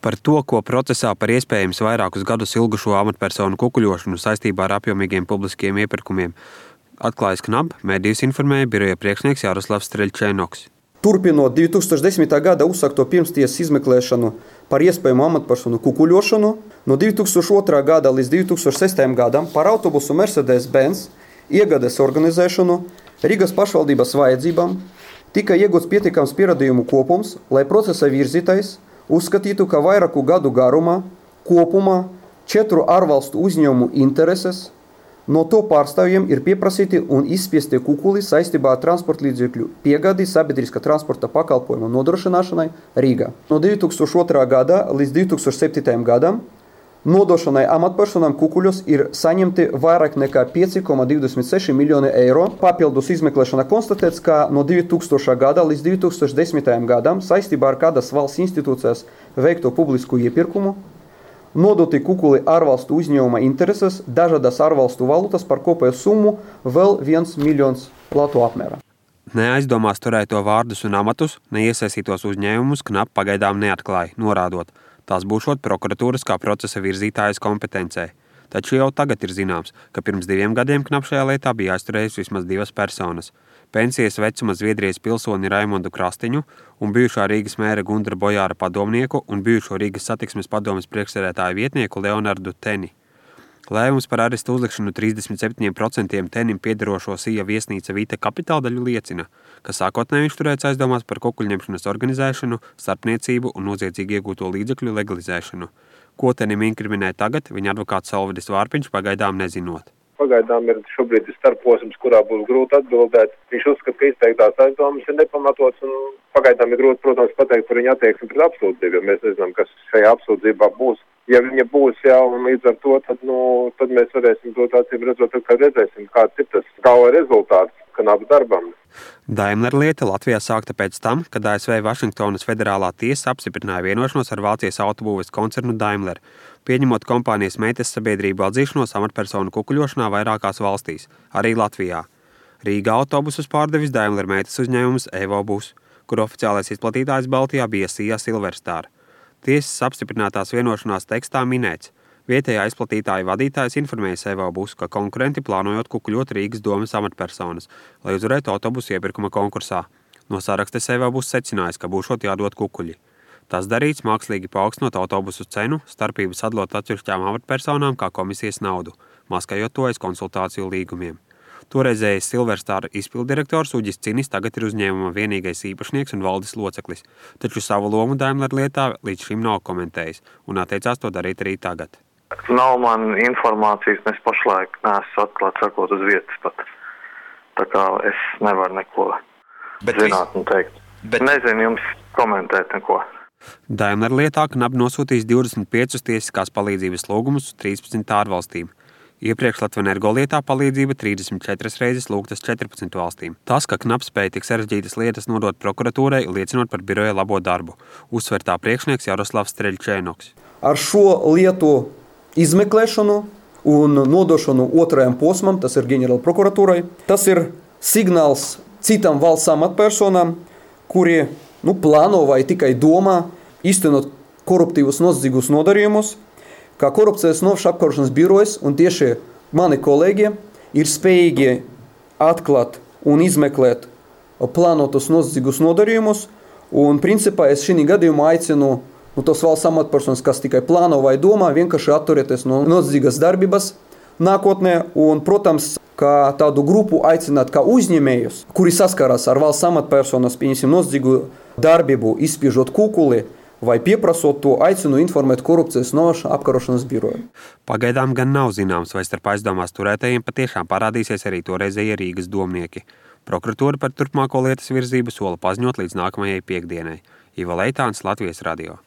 Par to, ko procesā par iespējams vairākus gadus ilgušo amatpersonu kukuļošanu saistībā ar apjomīgiem publiskiem iepirkumiem atklājis KNAB, medijus informēja biroja priekšnieks Jaroslavs Streļčēnoks. Turpinot 2010. gada uzsākto pirmstiesas izmeklēšanu par iespējamu amatpersonu kukuļošanu, no 2002. gada līdz 2006. gadam par autobusu Mercedes-Benz iegādes organizēšanu Rīgas pašvaldības vajadzībām tika iegūts pietiekams pierādījumu kopums, lai procesa virzītājs uzskatītu, ka vairāku gadu garumā kopumā 4 ārvalstu uzņēmumu intereses no to pārstāvjiem ir pieprasīti un izspiesti kukuli saistībā ar transporta līdzekļu piegādi sabiedriskā transporta pakalpojumu nodrošināšanai Rīgā. No 2002. gada līdz 2007. gadam nodošanai amatpersonām kukuļos ir saņemti vairāk nekā 5,26 miljoni eiro. Papildus izmeklēšana konstatēts, ka no 2000. gada līdz 2010. gadam saistībā ar kādas valsts institūcijas veikto publisku iepirkumu nodoti kukuli ārvalstu uzņēmuma intereses dažādas ārvalstu valūtas par kopēju summu vēl 1 miljons latu apmērā. Neaizdomās turēto vārdus un amatus neiesaistītos uzņēmumus KNAB pagaidām neatklāja, norādot, tās būšot prokuratūras kā procesa virzītājas kompetencē. Taču jau tagad ir zināms, ka pirms 2 gadiem KNAB šajā lietā bija aizturējusi vismaz 2 personas. Pensijas vecuma Zviedrijas pilsoni Raimondu Krastiņu un bijušā Rīgas mēra Gundra Bojāra padomnieku un bijušo Rīgas satiksmes padomes priekšsēdētāju vietnieku Leonardu Teni. Lēmums par arestu uzlikšanu 37% Tenim piederošo Sija viesnīca Vita kapitāldaļu liecina, ka sākotnēji viņš turēts aizdomās par kukuļņemšanas organizēšanu, starpniecību un noziedzīgi iegūto līdzekļu legalizēšanu. Ko Tenim inkriminē tagad, viņa advokāts Salvidis Vārpiņš pagaidām nezinot. Pagaidām ir šobrīd starposms, kurā būs grūti atbildēt. Viņš uzskata, ka izteiktās aizdomas ir nepamatots un pagaidām ir grūti, protams, pateikt par viņa attieksmi pret apsūdzību, jo mēs nezinām, kas šajā apsūdzībā būs. Ja viņa būs un līdz ar to, tad mēs varēsim to acīm redzot, ka redzēsim, kāds ir tas gala rezultāts KNAB darbam. Daimler lieta Latvijā sākta pēc tam, kad ASV Vašingtonas federālā tiesa apstiprināja vienošanos ar Vācijas autobūves koncernu Daimler, pieņemot kompānijas meitas sabiedrību atzīšanos amatpersonu kukuļošanā vairākās valstīs, arī Latvijā. Rīgā autobusus pārdevis Daimler meitas uzņēmums EvoBus, kur oficiālais izplatītājs Baltijā bija Sija Silverstar. Tiesas apstiprinātās vienošanās tekstā minēts. Vietējā izplatītāja vadītājs informēja EvoBus, ka konkurenti plānojot kukuļot Rīgas domes amatpersonas, lai uzvarētu autobusu iepirkuma konkursā. No sarakstes EvoBus secinājis, ka būšot jādod kukuļi. Tas darīts mākslīgi paaugstinot autobusu cenu, starpības sadalot atsevišķām amatpersonām kā komisijas naudu, maskējot to aiz konsultāciju līgumiem. Toreizējais Silverstar izpilddirektors Uģis Cinis tagad ir uzņēmuma vienīgais īpašnieks un valdes loceklis, taču savu lomu Daimler lietā līdz šim nav komentējis un atteicās to darīt arī tagad. Nav man informācijas, mēs pašlaik neesmu atklāt sakot uz vietas pat. Tā kā es nevaru neko zināt un teikt. Nezinu jums komentēt neko. Daimler lietā KNAB nosūtīs 25 tiesiskās palīdzības lūgumus 13 ārvalstīm. Iepriekš Latvenergo lietā palīdzība 34 reizes lūgtas 14 valstīm. Tas, ka KNAB spēja tik sarežģītas lietas nodot prokuratūrai, liecinot par biroja labo darbu, uzsver tā priekšnieks Jaroslavs Streļčēnoks. Ar šo lietu izmeklēšanu un nodošanu otrajam posmam, tas ir ģenerāla prokuratūrai, tas ir signāls citām valsts amatpersonām, kuri plāno vai tikai domā īstenot koruptīvus noziedzīgus nodarījumus, kā korupcijas novēršanas apkarošanas birojas un tieši mani kolēģi ir spējīgi atklāt un izmeklēt plānotus noziedzīgus nodarījumus. Un principā es šī gadījumā aicinu tos valsts amatpersonas, kas tikai plāno vai domā, vienkārši atturēties no noziedzīgas darbības nākotnē. Un, protams, kā tādu grupu aicināt kā uzņēmējus, kuri saskarās ar valsts amatpersonas, pieņemsim, noziedzīgu darbību, izspiežot kukuli, vai pieprasot to, aicinu informēt korupcijas novēršanas apkarošanas biroju. Pagaidām gan nav zināms, vai starp aizdomās turētajiem patiešām parādīsies arī toreizējie Rīgas domnieki. Prokuratūra par turpmāko lietas virzību sola paziņot līdz nākamajai piektdienai. Ivo Leitāns, Latvijas radio.